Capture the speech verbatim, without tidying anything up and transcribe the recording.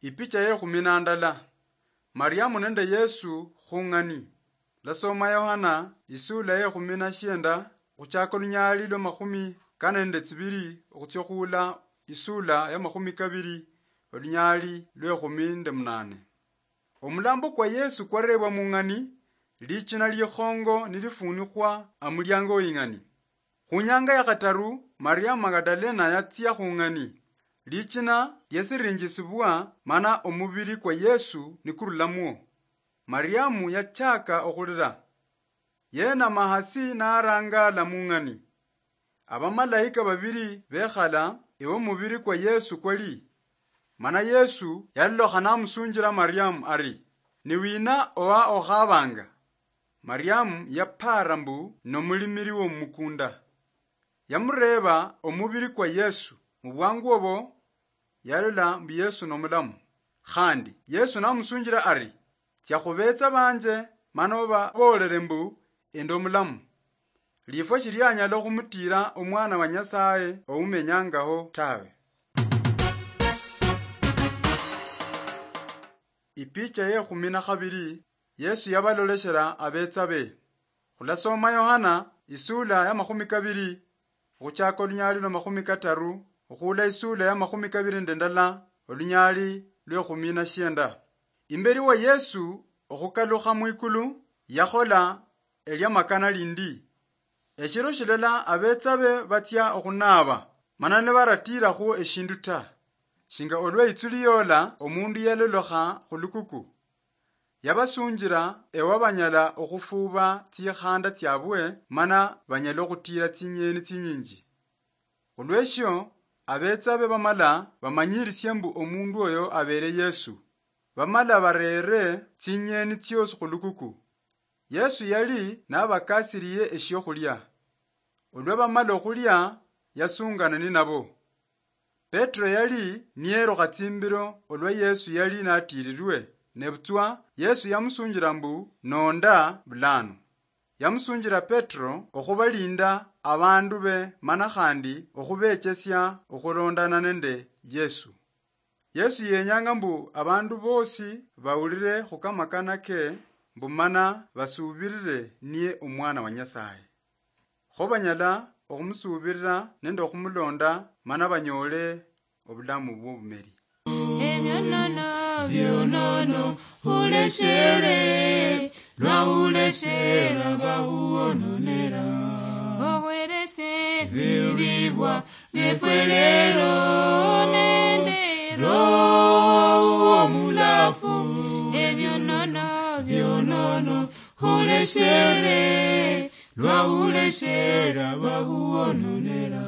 Ipicha yekhumi na ndala. Mariamu nende Yesu khung'ani. Lasoma Yohana isula yekhumi na shienda, khuchaka olunyali lwa makhumi kane nende tsibili, okhutsia khuula isula ya makhumi kabili, olunyali lwekhumi nende munane. Omulambo kwa Yesu kwarebwa mung'ani, lichina likhongo nilifunikwa amuliango weng'ani. Khunyanga ya khataru, Mariamu Magdalena yatsia khung'ani. Lichina liasirinjisibwa, mana omubili kwa Yesu nikurulamwo. Mariamu yachaka okhulira. Yenama hasi narangala mung'ani. Abamalaika babili bekhala ewo mubili kwa Yesu kwali. Mana Yesu yalolokha namusunjila Mariamu ari, "Ni wina owa okhabanga?" Mariamu yapara mbu nomulimili womukunda. Yamureba omubili kwa Yesu. Mubwangu obo, yalola mbu Yesu nomulamu. Khandi Yesu namusunjila ari, "Tsia khubetsa banje, mana obabolele mbu ende omulamu. Lifwa shilianyala okhumutira omwana wa Nyasaye oumenyangaho tawe." Ipicha ye khumi na khabili, Yesu yabaloleshela abetsa be. Khulasoma Yohana isula ya makhumi kabili, okhuchaka olunyali lwa makhumi kataru, okhuula isula ya makhumi kabili nende ndala, olunyali lwe khumi na shienda. Imbeli wa Yesu okhukalukha mwikulu, yakhola eliamakana lindi. Eshiro shilala abetsa be batsia okhunaaba, mana nibaratiirakhu eshindu ta, shinga olwa itsuli yoola omundu yalolokha khulukuku. Yabasunjila ewa banyala okhufuuba tsikhanda tsiabwe, mana banyala okhutiila tsinyeni tsinyinji. Khulweshio, abetsa be bamala bamanyilishe mbu omundu oyo abele Yesu. Bamala bareere tsinyeni tsiosi khulukuku. Yesu yali nabakasiliye eshiokhulia. Olwa bamala okhulia, yasungana ninabo. Petero yali niyerukha tsimbilo olwa Yesu yali natiililwe, nebutswa Yesu yamusunjila mbu, "Nonda bulano." Yamusunjila Petero okhubalinda abandu be, mana khandi okhubechesia okhulondana nende Yesu. Yesu yenyanga mbu abandu bosi bawulire khukamakana ke, mbu mana basuubirire niye Omwana wa Nyasaye. Kho banyala okhumusuubirira nende okhumulonda, mana banyoole obulamu bw'obumeri. Ebyonono, byonono, huleshere, lwahuleshera bahuwononera. Owerese biribwa byefwe lero nende Roho Omulafu. Ebyonono, byonono, huleshere, lwahuleshera bahuwononera.